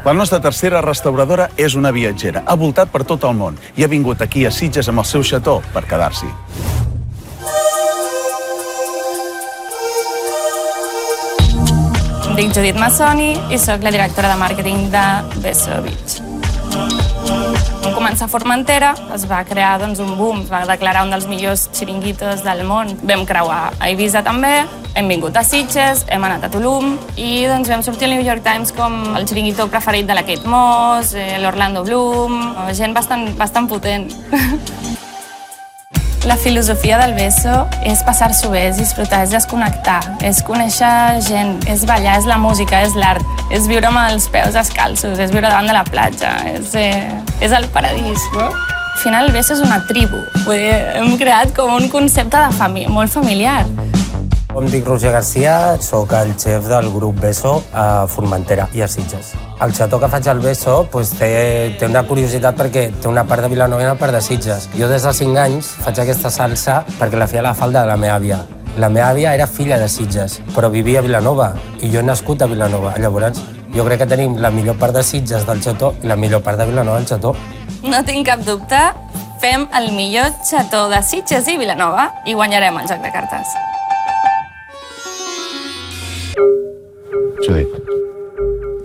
La nostra tercera restauradora és una viatgera. Ha voltat per tot el món i ha vingut aquí a Sitges amb el seu xató per quedar-s'hi. Em dic Judit Massoni i soc la directora de màrqueting de Beso Beach. Vam començar a Formentera, es va crear un boom, es va declarar un dels millors xiringuitos del món. Vam creuar a Eivissa també, hem vingut a Sitges, hem anat a Tulum i vam sortir al New York Times com el xiringuito preferit de la Kate Moss, l'Orlando Bloom, gent bastant potent. La filosofia del Beso és passar-s'ho bé, és disfrutar, és desconnectar, és conèixer gent, és ballar, és la música, és l'art, és viure amb els peus descalços, és viure davant de la platja, és el paradís, no? Al final el Beso és una tribu, hem creat com un concepte de molt familiar. Em dic Roger Garcia, soc el xef del grup Beso a Formentera i a Sitges. El xató que faig al Beso té una curiositat perquè té una part de Vilanova i una part de Sitges. Jo des dels 5 anys faig aquesta salsa perquè la feia a la falda de la meva àvia. La meva àvia era filla de Sitges, però vivia a Vilanova i jo he nascut a Vilanova. Llavors, jo crec que tenim la millor part de Sitges del xató i la millor part de Vilanova del xató. No tinc cap dubte, fem el millor xató de Sitges i Vilanova i guanyarem el joc de cartes. Judit,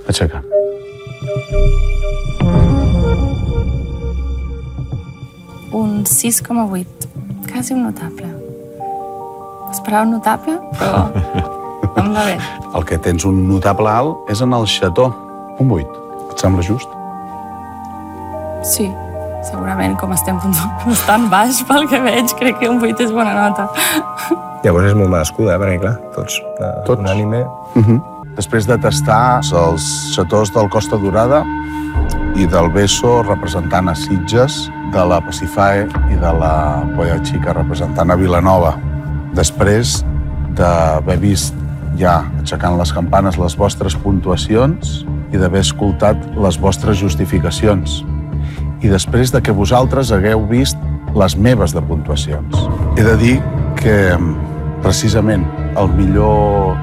aixeca. Un 6,8, quasi un notable. Esperava un notable, però em va bé. El que tens un notable alt és en el xató, un 8. Et sembla just? Sí, segurament, com estem bastant baix pel que veig, crec que un 8 és bona nota. Llavors és molt merescuda, perquè clar, tots unànime. Després de tastar els xatós del Costa Dorada i del Beso representant a Sitges, de la Pacifae i de la Polla Xica representant a Vilanova. Després d'haver vist ja, aixecant les campanes, les vostres puntuacions i d'haver escoltat les vostres justificacions. I després de que vosaltres hagueu vist les meves de puntuacions. He de dir que precisament el millor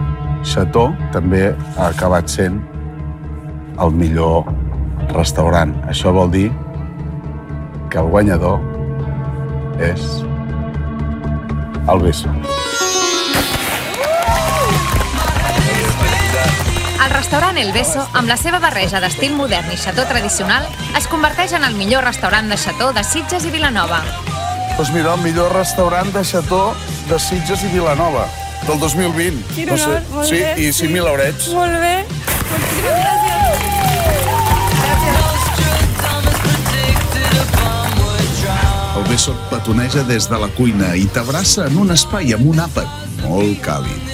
xató també ha acabat sent el millor restaurant. Això vol dir que el guanyador és el Beso. El restaurant El Beso, amb la seva barreja d'estil modern i xató tradicional, es converteix en el millor restaurant de xató de Sitges i Vilanova. Doncs mira, el millor restaurant de xató de Sitges i Vilanova, del 2020. Quin honor, molt bé. Sí, i 5.000 eurets. Molt bé, moltíssimes gràcies. El Beso et petoneja des de la cuina i t'abraça en un espai amb un àpat molt càlid.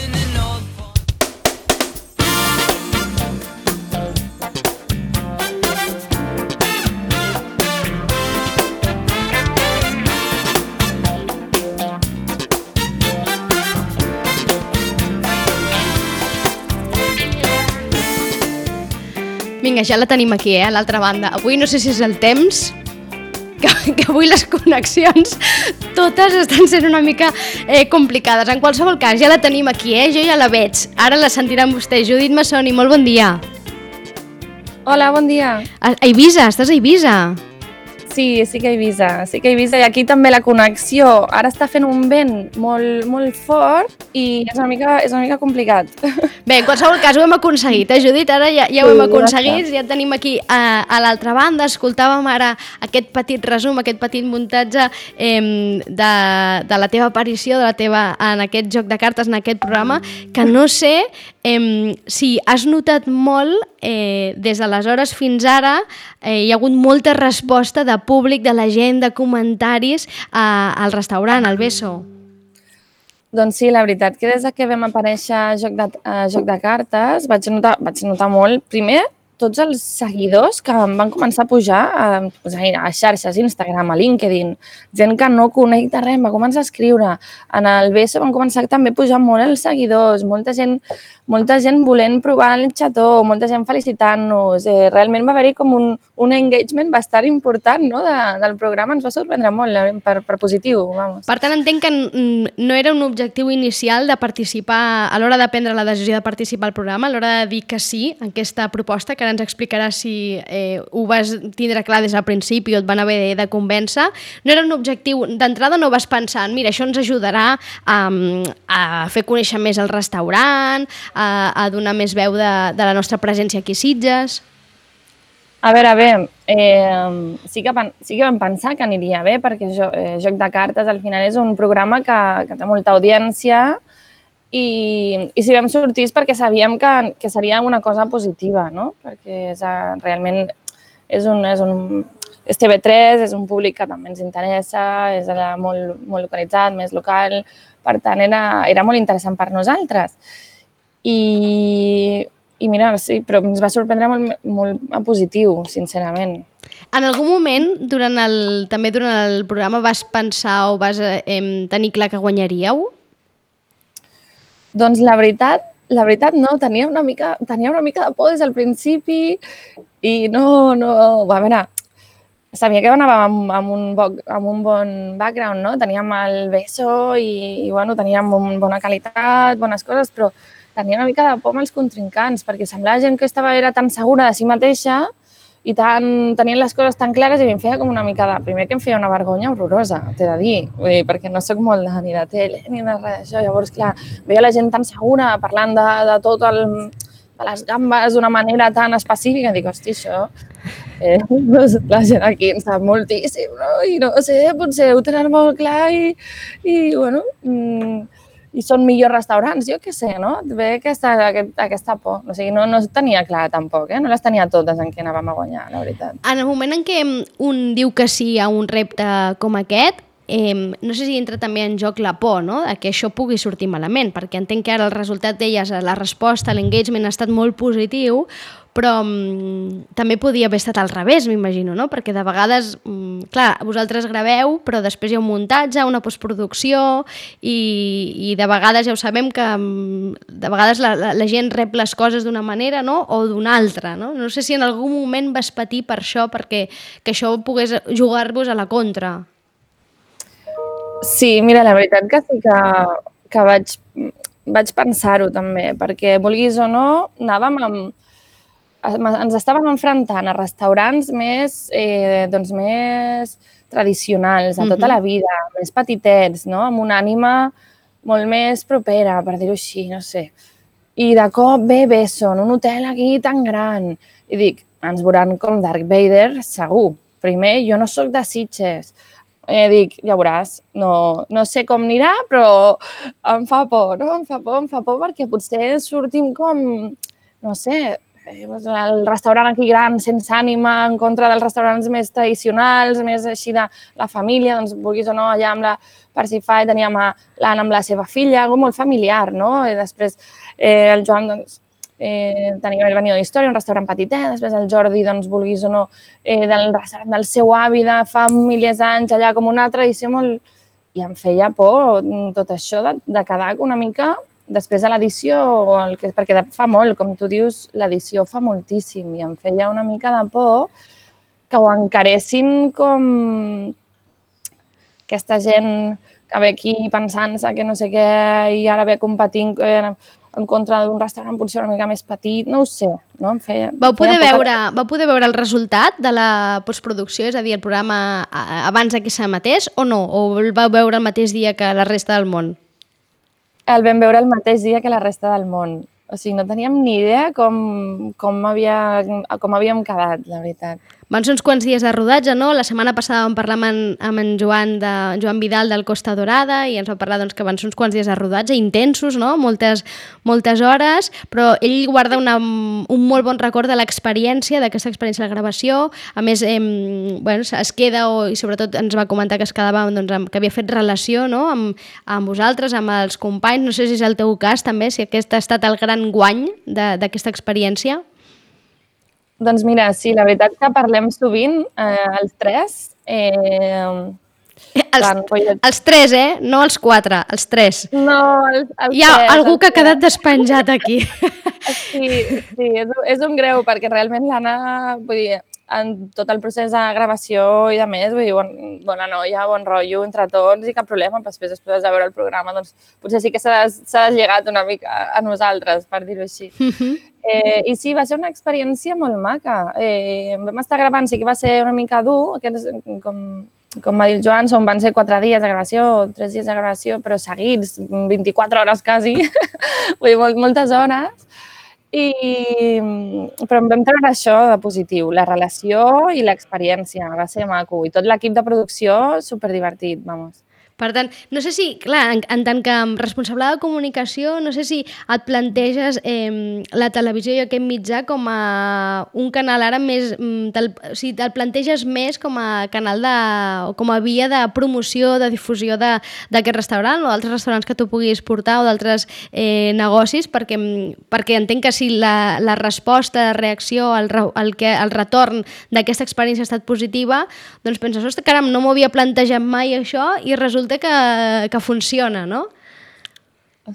Vinga, ja la tenim aquí, a l'altra banda. Avui no sé si és el temps, que avui les connexions totes estan sent una mica complicades. En qualsevol cas, ja la tenim aquí, jo ja la veig. Ara la sentiran vostès. Judit Massoni, molt bon dia. Hola, bon dia. A Eivissa, estàs a Eivissa? Sí que a Eivissa, i aquí també la connexió. Ara està fent un vent molt fort i és una mica complicat. Bé, en qualsevol cas ho hem aconseguit, Judit? Ara ja ho hem aconseguit, ja tenim aquí a l'altra banda. Escoltàvem ara aquest petit resum, aquest petit muntatge de la teva aparició, en aquest joc de cartes, en aquest programa, que no sé si has notat molt des d'aleshores fins ara. Hi ha hagut molta resposta de públic, de la gent, de comentaris al restaurant, al Beso. Doncs sí, la veritat que des que vam aparèixer a Joc de Cartes vaig notar molt, primer, tots els seguidors que em van començar a pujar a xarxes, Instagram, a LinkedIn, gent que no conec de res, em va començar a escriure. En el Beso van començar també a pujar molt els seguidors, molta gent volent provar el xató, molta gent felicitant-nos. Realment va haver-hi com un engagement bastant important, no? Del programa. Ens va sorprendre molt, per positiu, vamos. Per tant, entenc que no era un objectiu inicial de participar, a l'hora de prendre la decisió de participar al programa, a l'hora de dir que sí a aquesta proposta, que ara ens explicaràs si ho vas tindre clar des del principi o et van haver de convèncer. No era un objectiu, d'entrada no vas pensant, mira, això ens ajudarà a fer conèixer més el restaurant, a donar més veu de la nostra presència aquí a Sitges. A veure, sí que vam pensar que aniria bé, perquè Joc de Cartes al final és un programa que té molta audiència i si vam sortir és perquè sabíem que seria una cosa positiva, no? Perquè realment és TV3, és un públic que també ens interessa, és allà molt localitzat, més local, per tant era molt interessant per nosaltres. I mira, sí, però ens va sorprendre molt positiu, sincerament. En algun moment, també durant el programa, vas pensar o vas tenir clar que guanyaríeu? Doncs la veritat no, tenia una mica de por des del principi i no, a veure, sabia que anàvem amb un bon background, no? Teníem el BESO i bueno, teníem bona qualitat, bones coses, però tenia una mica de por amb els contrincants, perquè semblava gent que era tan segura de si mateixa i tenien les coses tan clares i em feia com una mica de... Primer que em feia una vergonya horrorosa, t'he de dir, perquè no soc molt ni de tele ni de res d'això. Llavors, clar, veia la gent tan segura parlant de tot de les gambes d'una manera tan específica. Dic, hosti, això... la gent aquí en sap moltíssim, no? I no sé, potser ho tenen molt clar i bueno... I són millors restaurants, jo què sé, no? Ve aquesta por. O sigui, no tenia clar tampoc, no les tenia totes en què anàvem a guanyar, la veritat. En el moment en què un diu que sí a un repte com aquest, no sé si entra també en joc la por, no?, de que això pugui sortir malament, perquè entenc que ara el resultat d'elles, la resposta, l'engagement ha estat molt positiu, però també podia haver estat al revés, m'imagino, no? Perquè de vegades, clar, vosaltres graveu, però després hi ha un muntatge, una postproducció i de vegades ja ho sabem que de vegades la gent rep les coses d'una manera, no?, o d'una altra, no? No sé si en algun moment vas patir per això, perquè que això pogués jugar-vos a la contra. Sí, mira, la veritat que sí que vaig pensar-ho també, perquè vulguis o no, ens estàvem enfrontant a restaurants més tradicionals, de tota la vida, més petitets, no? Amb una ànima molt més propera, per dir-ho així, no sé. I de cop ve BESO, en un hotel aquí tan gran. I dic, ens veuran com Darth Vader, segur. Primer, jo no sóc de Sitges. Dic, ja veuràs, no sé com anirà, però em fa por, no? Em fa por perquè potser sortim com, no sé, el restaurant aquí gran, sense ànima, en contra dels restaurants més tradicionals, més així de la família, doncs vulguis o no, allà amb la Parsify teníem l'Anna amb la seva filla, algo molt familiar, no? I després el Joan, doncs, tenia el Venido d'Història, un restaurant petitet, després el Jordi, doncs, vulguis o no, del restaurant del seu avi de fa milers d'anys, allà com una tradició molt... I em feia por tot això de quedar una mica... Després de l'edició, perquè fa molt, com tu dius, l'edició fa moltíssim i em feia una mica de por que ho encaressin com aquesta gent que ve aquí pensant-se que no sé què i ara ve competint en contra d'un restaurant potser una mica més petit, no ho sé. No? Vau poder veure el resultat de la postproducció, és a dir, el programa abans que s'emetés o no? O el vau veure el mateix dia que la resta del món? El vam veure el mateix dia que la resta del món. O sigui, no teníem ni idea com havíem quedat, la veritat. Van ser uns quants dies de rodatge, no? La setmana passada vam parlar amb en Joan Vidal del Costa Dorada i ens va parlar que van ser uns quants dies de rodatge intensos, no? Moltes hores, però ell guarda un molt bon record de l'experiència, d'aquesta experiència de la gravació. A més, es queda, i sobretot ens va comentar que es quedava, que havia fet relació, no?, amb vosaltres, amb els companys. No sé si és el teu cas també, si aquest ha estat el gran guany d'aquesta experiència. Doncs mira, sí, la veritat que parlem sovint, els tres. Els tres, no els quatre, els tres. No, els tres. Hi ha algú que ha quedat despenjat aquí. Sí, és un greu, perquè realment l'Anna, vull dir, en tot el procés de gravació i de més, vull dir, bona noia, bon rotllo entre tots i cap problema, però després de veure el programa, doncs potser sí que s'ha deslligat una mica a nosaltres, per dir-ho així. I sí, va ser una experiència molt maca. Vam estar gravant, sí que va ser una mica dur, com va dir el Joan, van ser 4 dies de gravació, 3 dies de gravació, però seguits, 24 hores quasi, vull dir, moltes hores. Però em vam treure això de positiu, la relació i l'experiència, va ser maco. I tot l'equip de producció, superdivertit, vamos. Per tant, no sé si, clar, en tant que responsable de comunicació, no sé si et planteges la televisió i aquest mitjà com a un canal ara més... O sigui, te'l planteges més com a canal com a via de promoció, de difusió d'aquest restaurant o d'altres restaurants que tu puguis portar o d'altres negocis, perquè entenc que si la resposta, la reacció, el retorn d'aquesta experiència ha estat positiva, doncs penses, ostres, caram, no m'ho havia plantejat mai això i resulta que funciona, no?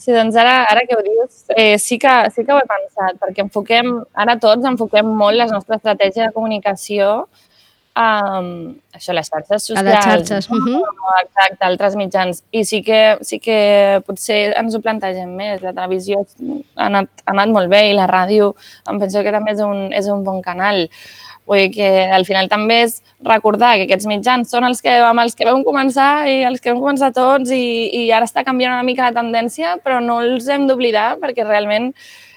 Sí, doncs ara que ho dius, sí que ho he pensat, perquè ara tots enfoquem molt la nostra estratègia de comunicació a les xarxes socials. A les xarxes. Exacte, altres mitjans. I sí que potser ens ho plantegem més. La televisió ha anat molt bé i la ràdio em penso que també és un bon canal. Vull dir que al final també és recordar que aquests mitjans són amb els que vam començar i els que vam començar tots i ara està canviant una mica la tendència, però no els hem d'oblidar perquè realment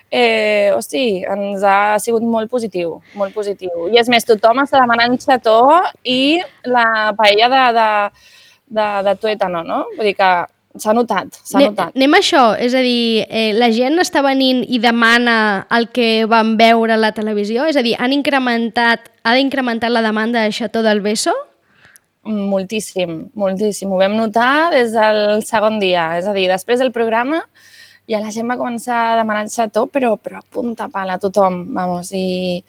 ens ha sigut molt positiu, molt positiu. I és més, tothom està demanant xató i la paella de tuétano, no? Vull dir que s'ha notat, s'ha notat. Anem a això, és a dir, la gent està venint i demana el que van veure a la televisió? És a dir, ha incrementat la demanda de xató del Beso? Moltíssim, moltíssim. Ho vam notar des del segon dia. És a dir, després del programa ja la gent va començar a demanar xató, però a punta pala a tothom, vamos, i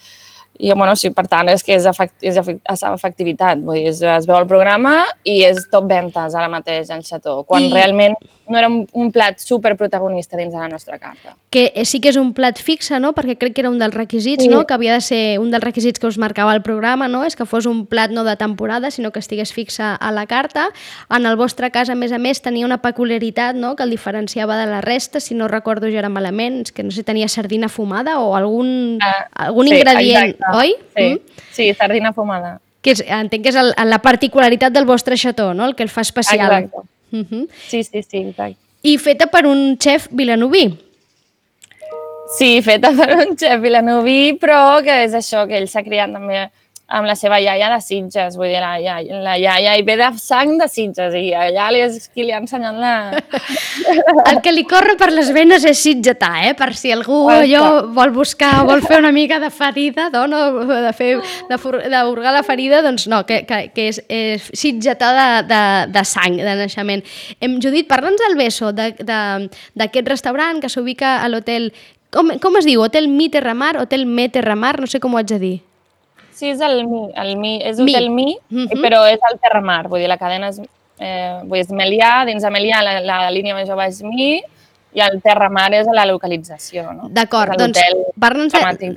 bueno, sí, per tant, és que és efectivitat. Vull dir, es veu el programa i és top ventes ara mateix el xató, quan realment no era un plat superprotagonista dins de la nostra carta. Que sí que és un plat fixe, no? Perquè crec que era un dels requisits, no? Que havia de ser un dels requisits que us marcava el programa, no? És que fos un plat no de temporada, sinó que estigués fixe a la carta. En el vostre cas, a més, tenia una peculiaritat, no?, que el diferenciava de la resta, si no recordo jo ara malament, que no sé, tenia sardina fumada o algun ingredient, exacte. Oi? Sí, sardina fumada. Entenc que és la particularitat del vostre xató, no?, el que el fa especial. Exacte. Sí, exacte. I feta per un xef vilanoví. Sí, feta per un xef vilanoví, però que és això, que ell s'ha criat també amb la seva iaia de Sitges, vull dir, la iaia hi ve de sang de Sitges i allà és qui li ha ensenyat la... El que li corre per les venes és sitgetà, per si algú vol fer una mica de ferida, d'hurgar la ferida, doncs no, que és sitgetà de sang, de naixement. Judit, parla'ns del Beso, d'aquest restaurant que s'ubica a l'hotel... Com es diu? Hotel Mi Terramar, Hotel Me Terramar, no sé com ho haig de dir. Sí, és el Mi, és Hotel Mi, però és el Terramar, vull dir, la cadena és Melià, dins de Melià la línia més jove és Mi i el Terramar és la localització, no? D'acord, doncs parla'ns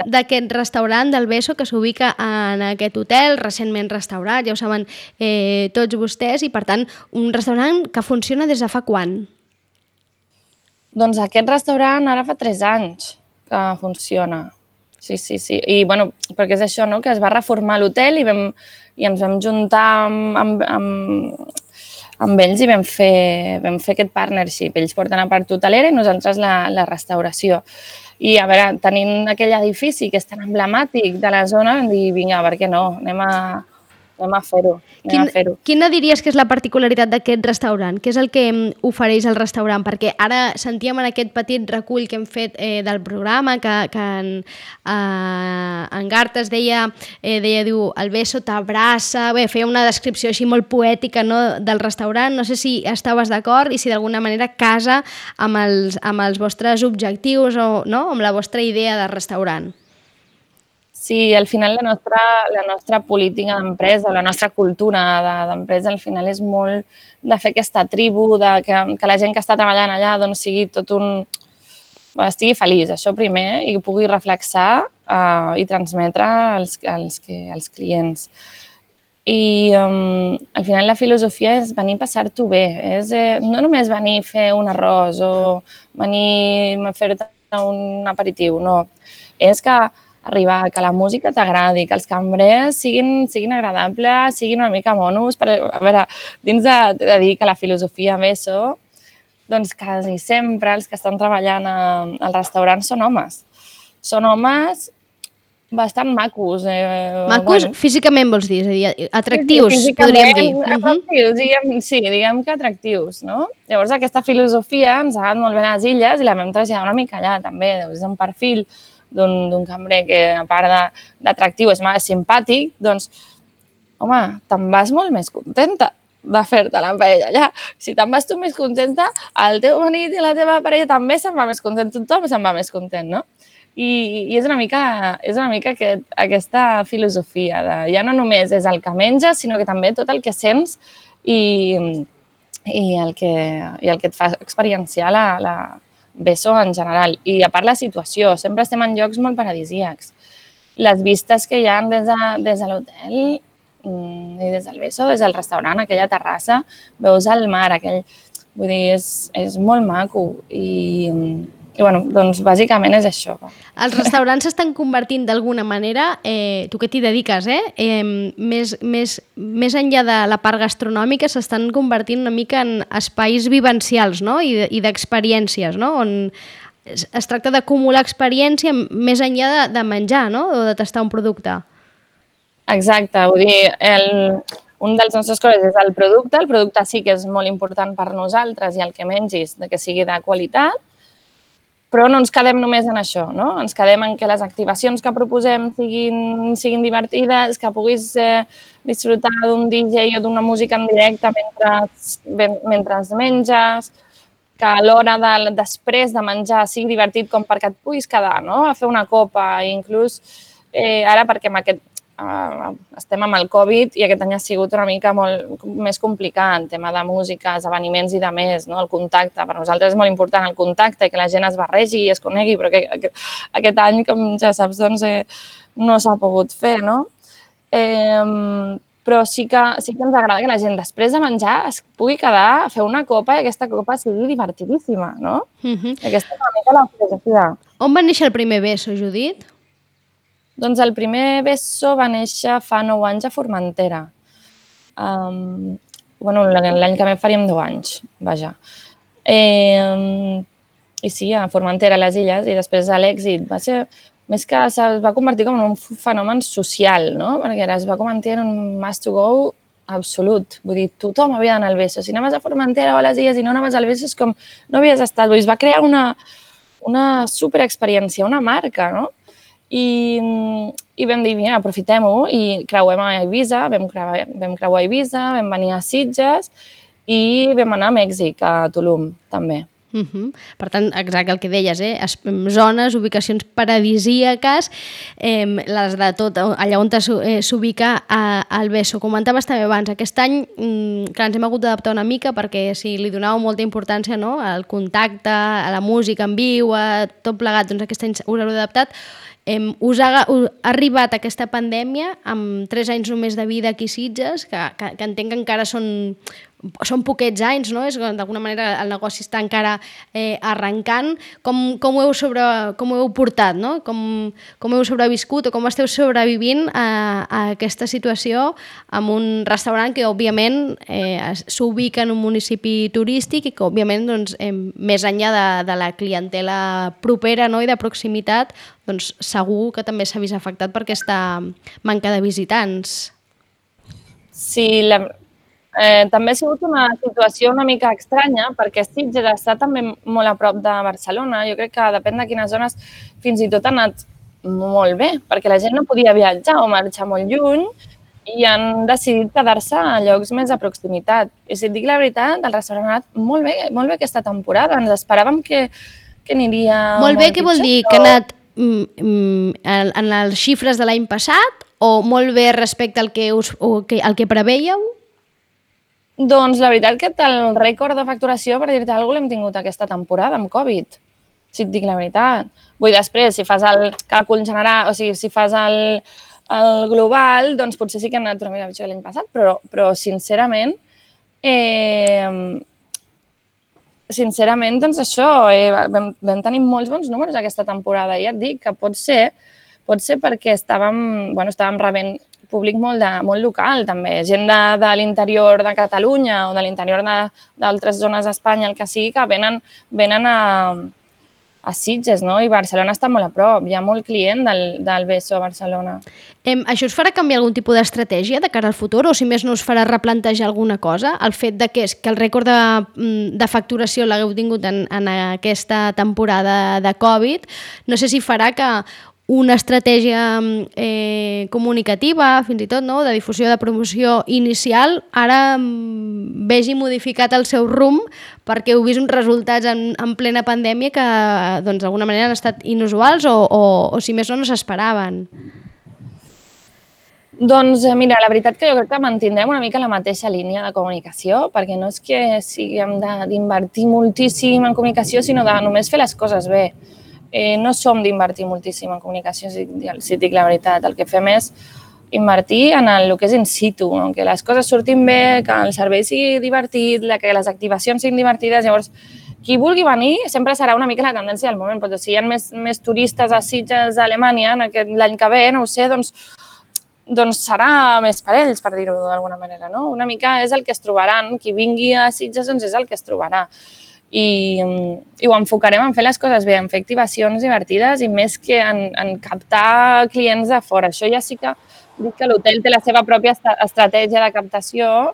d'aquest restaurant del Beso que s'ubica en aquest hotel, recentment restaurat, ja ho saben tots vostès, i per tant, un restaurant que funciona des de fa quan? Doncs aquest restaurant ara fa 3 anys que funciona. Sí. I, bueno, perquè és això, no?, que es va reformar l'hotel i ens vam juntar amb ells i vam fer aquest partnership. Ells porten la part hotelera i nosaltres la restauració. I, a veure, tenint aquell edifici que és tan emblemàtic de la zona, vam dir, vinga, per què no? Anem a fer-ho. Quina diries que és la particularitat d'aquest restaurant? Què és el que ofereix el restaurant? Perquè ara sentíem en aquest petit recull que hem fet del programa que en Gartes deia, diu, el Beso t'abraça, bé, feia una descripció així molt poètica, no?, del restaurant. No sé si estaves d'acord i si d'alguna manera casa amb els vostres objectius o no, amb la vostra idea de restaurant. Sí, al final la nostra política d'empresa, la nostra cultura d'empresa, al final és molt de fer aquesta tribu, que la gent que està treballant allà doncs sigui estigui feliç, això primer, i pugui reflexar i transmetre als clients. I al final la filosofia és venir a passar-t'ho bé, és no només venir a fer un arròs o venir a fer-te un aperitiu, no. És que arribar, que la música t'agradi, que els cambrers siguin agradables, siguin una mica monos. A veure, dins de dir que la filosofia Beso, doncs quasi sempre els que estan treballant al restaurant són homes. Són homes bastant macos. Macos físicament vols dir? És a dir, atractius, podríem dir. Atractius, sí, diguem que atractius, no? Llavors aquesta filosofia ens ha agradat molt bé a les illes i la vam traslladar una mica allà també. És un perfil d'un cambrer que, a part d'atractiu, és simpàtic, doncs, home, te'n vas molt més contenta de fer-te la paella allà. Si te'n vas tu més contenta, el teu marit i la teva parella també se'n va més content, tothom se'n va més content, no? I és una mica aquesta filosofia de ja no només és el que menges, sinó que també tot el que sents i el que et fa experienciar la Beso en general. I a part la situació, sempre estem en llocs molt paradisíacs. Les vistes que hi ha des de l'hotel i des del Beso, des del restaurant, aquella terrassa, veus el mar, vull dir, és molt maco i bueno, doncs bàsicament és això. Els restaurants s'estan convertint d'alguna manera, tu que t'hi dediques, més enllà de la part gastronòmica, s'estan convertint una mica en espais vivencials, no? I d'experiències, no? On es tracta d'acumular experiència més enllà de menjar, no? O de tastar un producte. Exacte, vull dir, un dels nostres coses és el producte sí que és molt important per nosaltres i el que mengis, que sigui de qualitat, però no ens quedem només en això, no? Ens quedem en que les activacions que proposem siguin divertides, que puguis disfrutar d'un DJ o d'una música en directe mentre menges, que a l'hora després de menjar sigui divertit com perquè et puguis quedar, no? A fer una copa, inclús ara perquè estem amb el Covid i aquest any ha sigut una mica molt més complicat en tema de música, esdeveniments i de més, no? El contacte. Per nosaltres és molt important el contacte i que la gent es barregi i es conegui, però aquest any, com ja saps, doncs no s'ha pogut fer, no? Però sí que ens agrada que la gent després de menjar es pugui quedar a fer una copa i aquesta copa sigui divertidíssima, no? Aquesta és una mica la filosofia. On va néixer el primer Beso, Judit? Doncs el primer Beso va néixer fa 9 anys a Formentera. L'any que ve faríem 10 anys, vaja. I sí, a Formentera, a les Illes, i després a l'èxit va ser... Més que es va convertir com en un fenomen social, no? Perquè es va convertir en un must to go absolut. Vull dir, tothom havia d'anar al Beso. Si anaves a Formentera o a les Illes i no anaves al Beso és com no havies estat. Vull dir, es va crear una superexperiència, una marca, no? I vam dir, mira, aprofitem-ho i creuem a Eivissa, vam creuar a Eivissa, vam venir a Sitges i vam anar a Mèxic, a Tulum, també. Per tant, exacte el que deies, zones, ubicacions paradisíaques, les de tot, allà on s'ubica el Beso. Comentaves també abans, aquest any clar, ens hem hagut d'adaptar una mica perquè si li donàveu molta importància al contacte, a la música en viu, a tot plegat, doncs aquest any us heu adaptat. Us ha arribat aquesta pandèmia amb 3 anys només de vida aquí a Sitges, que entenc que encara són poquets anys, no? D'alguna manera el negoci està encara arrencant. Com ho heu portat, no? Com heu sobreviscut o com esteu sobrevivint a aquesta situació amb un restaurant que, òbviament, s'ubica en un municipi turístic i que, òbviament, doncs, més enllà de la clientela propera, no? I de proximitat, doncs segur que també s'ha vist afectat per aquesta manca de visitants. Sí, també ha sigut una situació una mica estranya perquè Sitges està també molt a prop de Barcelona. Jo crec que depèn de quines zones fins i tot ha anat molt bé perquè la gent no podia viatjar o marxar molt lluny i han decidit quedar-se a llocs més de proximitat. I si et dic la veritat, el restaurant ha anat molt bé aquesta temporada. Ens esperàvem que aniria molt bé, què vol dir? Que ha anat en les xifres de l'any passat o molt bé respecte al que prevèieu? Doncs la veritat que el rècord de facturació, per dir-te alguna cosa, l'hem tingut aquesta temporada amb Covid. si et dic la veritat. Vull dir, després, si fas el càlcul general, o sigui, si fas el global, doncs potser sí que hem anat una mica pitjor que l'any passat, però sincerament, doncs això, vam tenir molts bons números aquesta temporada. Ja et dic que pot ser perquè estàvem rebent públic molt local, també. Gent de l'interior de Catalunya o de l'interior d'altres zones d'Espanya, el que sigui, que venen a Sitges, no? I Barcelona està molt a prop. Hi ha molt client del Beso a Barcelona. Això us farà canviar algun tipus d'estratègia de cara al futur o, si més no, us farà replantejar alguna cosa? El fet de que el rècord de facturació l'hagueu tingut en aquesta temporada de Covid, no sé si farà que una estratègia comunicativa, fins i tot, no?, de difusió, de promoció inicial, ara vegi modificat el seu rumb perquè heu vist uns resultats en plena pandèmia que, doncs, d'alguna manera han estat inusuals o si més no s'esperaven. Doncs mira, la veritat que jo crec que mantindrem una mica la mateixa línia de comunicació, perquè no és que siguem d'invertir moltíssim en comunicació, sinó de només fer les coses bé. No som d'invertir moltíssim en comunicació, si et dic la veritat. El que fem és invertir en el que és in situ, que les coses surtin bé, que el servei sigui divertit, que les activacions siguin divertides. Llavors, qui vulgui venir sempre serà una mica la tendència del moment, però si hi ha més turistes a Sitges, a Alemanya, l'any que ve, no ho sé, doncs serà més per ells, per dir-ho d'alguna manera, no? Una mica és el que es trobaran. Qui vingui a Sitges doncs és el que es trobarà. I ho enfocarem en fer les coses bé, en fer activacions divertides i més que en captar clients de fora. Això ja sí que dic que l'hotel té la seva pròpia estratègia de captació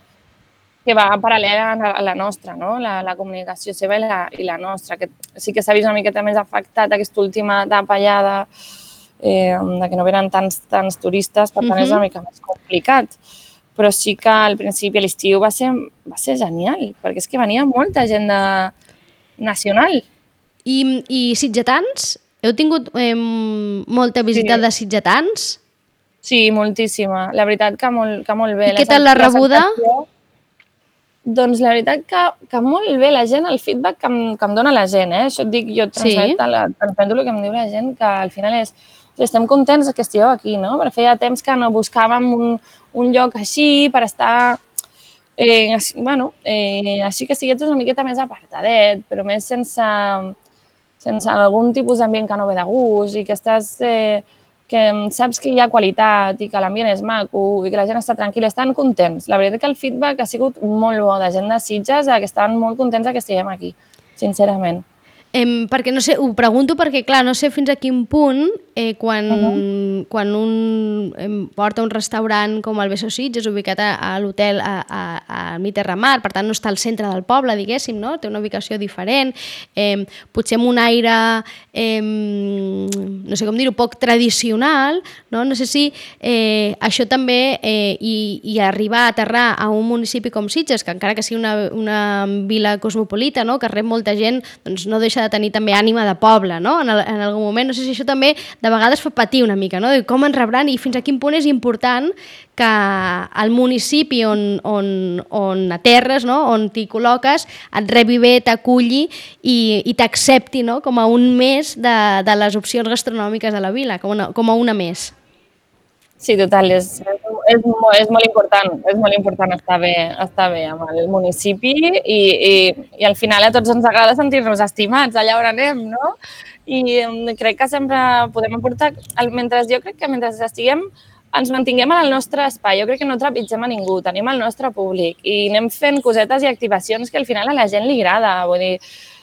que va paral·lela a la nostra, no? La comunicació seva i la nostra, que sí que s'ha vist una miqueta més afectat aquesta última etapa ja de que no venen tants turistes, per tant és una mica més complicat. Però sí que al principi, a l'estiu, va ser genial, perquè és que venia molta gent nacional. I sitgetans? Heu tingut molta visita de sitgetans? Sí, moltíssima. La veritat que molt bé. I què tal la rebuda? Doncs la veritat que molt bé. La gent, el feedback que em dona la gent, això et dic, jo transmeto el que em diu la gent, que al final és estem contents que estigueu aquí, no? Perquè feia temps que no buscàvem un lloc així per estar, així que estigués una miqueta més apartadet, però més sense algun tipus d'ambient que no ve de gust i que que saps que hi ha qualitat i que l'ambient és maco i que la gent està tranquil·la, estan contents. La veritat que el feedback ha sigut molt bo de gent de Sitges, que estan molt contents que estiguem aquí, sincerament. Perquè, no sé, ho pregunto perquè, clar, no sé fins a quin punt quan un porta un restaurant com el Beso Sitges, ubicat a l'hotel a Mitterramar, per tant no està al centre del poble, diguéssim, no? Té una ubicació diferent, potser amb un aire, no sé com dir-ho, poc tradicional, no? No sé si això també, i arribar a aterrar a un municipi com Sitges, que encara que sigui una vila cosmopolita, no? Que rep molta gent, doncs no deixa de tenir també ànima de poble, no? En algun moment. No sé si això també de vegades fa patir una mica, no? De com ens rebran i fins a quin punt és important que el municipi on aterres, no? On t'hi col·loques, et rebi bé, t'aculli i t'accepti, no? Com a un més de les opcions gastronòmiques de la vila, com a una més. Sí, total, és molt important estar bé amb el municipi i al final a tots ens agrada sentir-nos estimats allà on anem, no? I crec que sempre podem aportar, jo crec que mentre estiguem, ens mantinguem en el nostre espai, jo crec que no trepitgem a ningú, tenim el nostre públic i anem fent cosetes i activacions que al final a la gent li agrada, vull dir,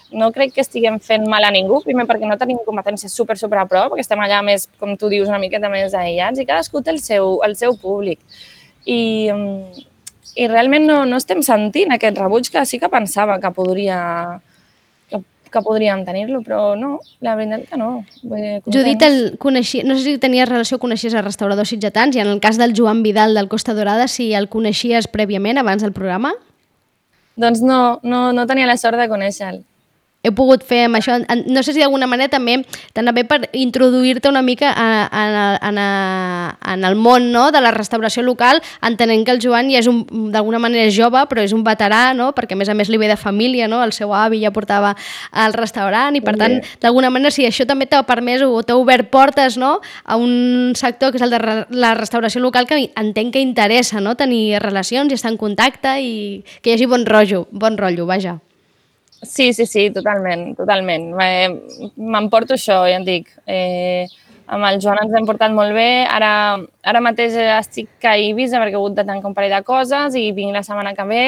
no crec que estiguem fent mal a ningú, primer perquè no tenim competències super a prop, perquè estem allà més, com tu dius, una miqueta més aïllats i cadascú té el seu públic. I realment no estem sentint aquest rebuig que sí que pensava que podríem tenir-lo, però no, la veritat que no. Judit, no sé si tenies relació, coneixies el restaurador sitgetans i en el cas del Joan Vidal del Costa Dorada, si el coneixies prèviament abans del programa? Doncs no tenia la sort de conèixer-lo. he pogut fer amb això. No sé si d'alguna manera també per introduir-te una mica en el món, no?, de la restauració local, entenent que el Joan ja és d'alguna manera jove, però és un veterà, no?, perquè a més li ve de família, no?, el seu avi ja portava al restaurant i per tant, d'alguna manera, sí, això també t'ha permès o t'ha obert portes, no?, a un sector que és el de la restauració local que entenc que interessa, no?, tenir relacions i estar en contacte i que hi hagi bon rotllo, vaja. Sí, totalment. M'emporto això, ja et dic. Amb el Joan ens hem portat molt bé. Ara mateix estic a Eivissa perquè he hagut de tancar un parell de coses i vinc la setmana que ve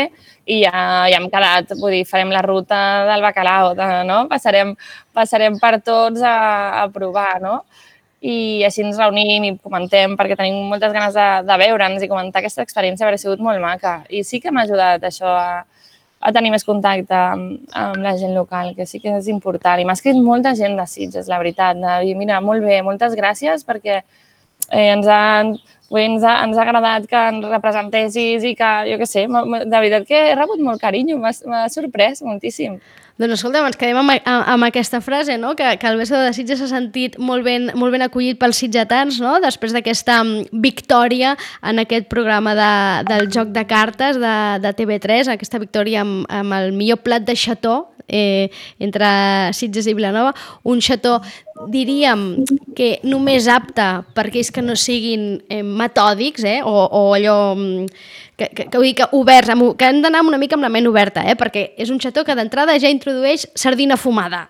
i ja hem quedat, vull dir, farem la ruta del bacalao, no? Passarem per tots a provar, no? I així ens reunim i comentem perquè tenim moltes ganes de veure'ns i comentar aquesta experiència, perquè ha sigut molt maca. I sí que m'ha ajudat això a tenir més contacte amb la gent local, que sí que és important. I m'ha escrit molta gent de Sitges, la veritat, de dir, mira, molt bé, moltes gràcies perquè ens ha agradat que ens representessis i que, jo què sé, de veritat que he rebut molt carinyo, m'ha sorprès moltíssim. Doncs escolta, ens quedem amb aquesta frase, no?, que el Beso de Sitges s'ha sentit molt ben acollit pels sitgetans, no?, després d'aquesta victòria en aquest programa del joc de cartes de TV3, aquesta victòria amb el millor plat de xató entre Sitges i Vilanova, un xató, diríem, que només apte per aquells que no siguin metòdics, o allò que oberts, que hem d'anar una mica amb la ment oberta, perquè és un xató que d'entrada ja introdueix sardina fumada.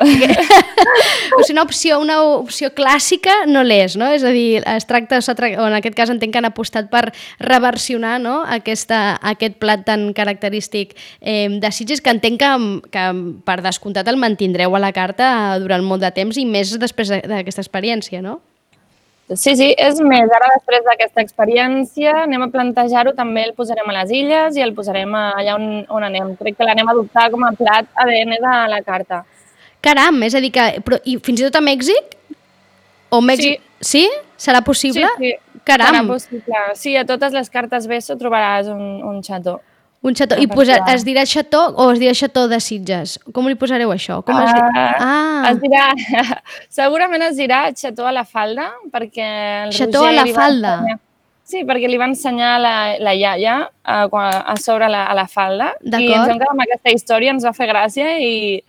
O sigui, una opció clàssica no l'és, no? És a dir, es tracta, o en aquest cas entenc que han apostat per reversionar, no?, aquest plat tan característic de Sitges, que entenc que per descomptat el mantindreu a la carta durant molt de temps i més després d'aquesta experiència, no? Sí, és més, ara després d'aquesta experiència anem a plantejar-ho, també el posarem a les Illes i el posarem allà on anem. Crec que l'anem a adoptar com a plat ADN de la carta. Caram, és a dir que... I fins i tot a Mèxic? O Mèxic... Sí? Serà possible? Sí. Caram. Serà possible. Sí, a totes les cartes Beso trobaràs un xató. Un xató. I es dirà xató o es dirà xató de Sitges? Com li posareu això? Es dirà... Segurament es dirà xató a la falda, perquè el xató a la falda? Sí, perquè li va ensenyar la iaia a sobre a la falda. I ens vam quedar amb aquesta història, ens va fer gràcia i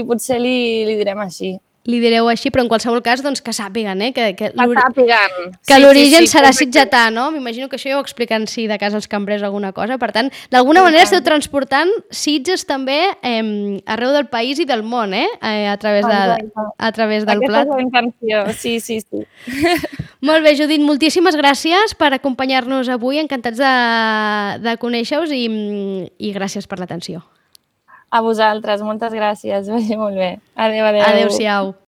potser li direm així. Li direu així, però en qualsevol cas doncs, que sàpiguen, que sàpiguen. L'origen serà sitgetà, no? M'imagino que això ja ho expliquen si de cas els cambrers alguna cosa. Per tant, d'alguna manera esteu transportant Sitges també arreu del país i del món, a través del plat. Aquesta és la intenció, sí. Molt bé, Judit, moltíssimes gràcies per acompanyar-nos avui. Encantats de conèixer-vos i gràcies per l'atenció. A vosaltres, moltes gràcies, vagi molt bé. Adéu. Adéu-siau.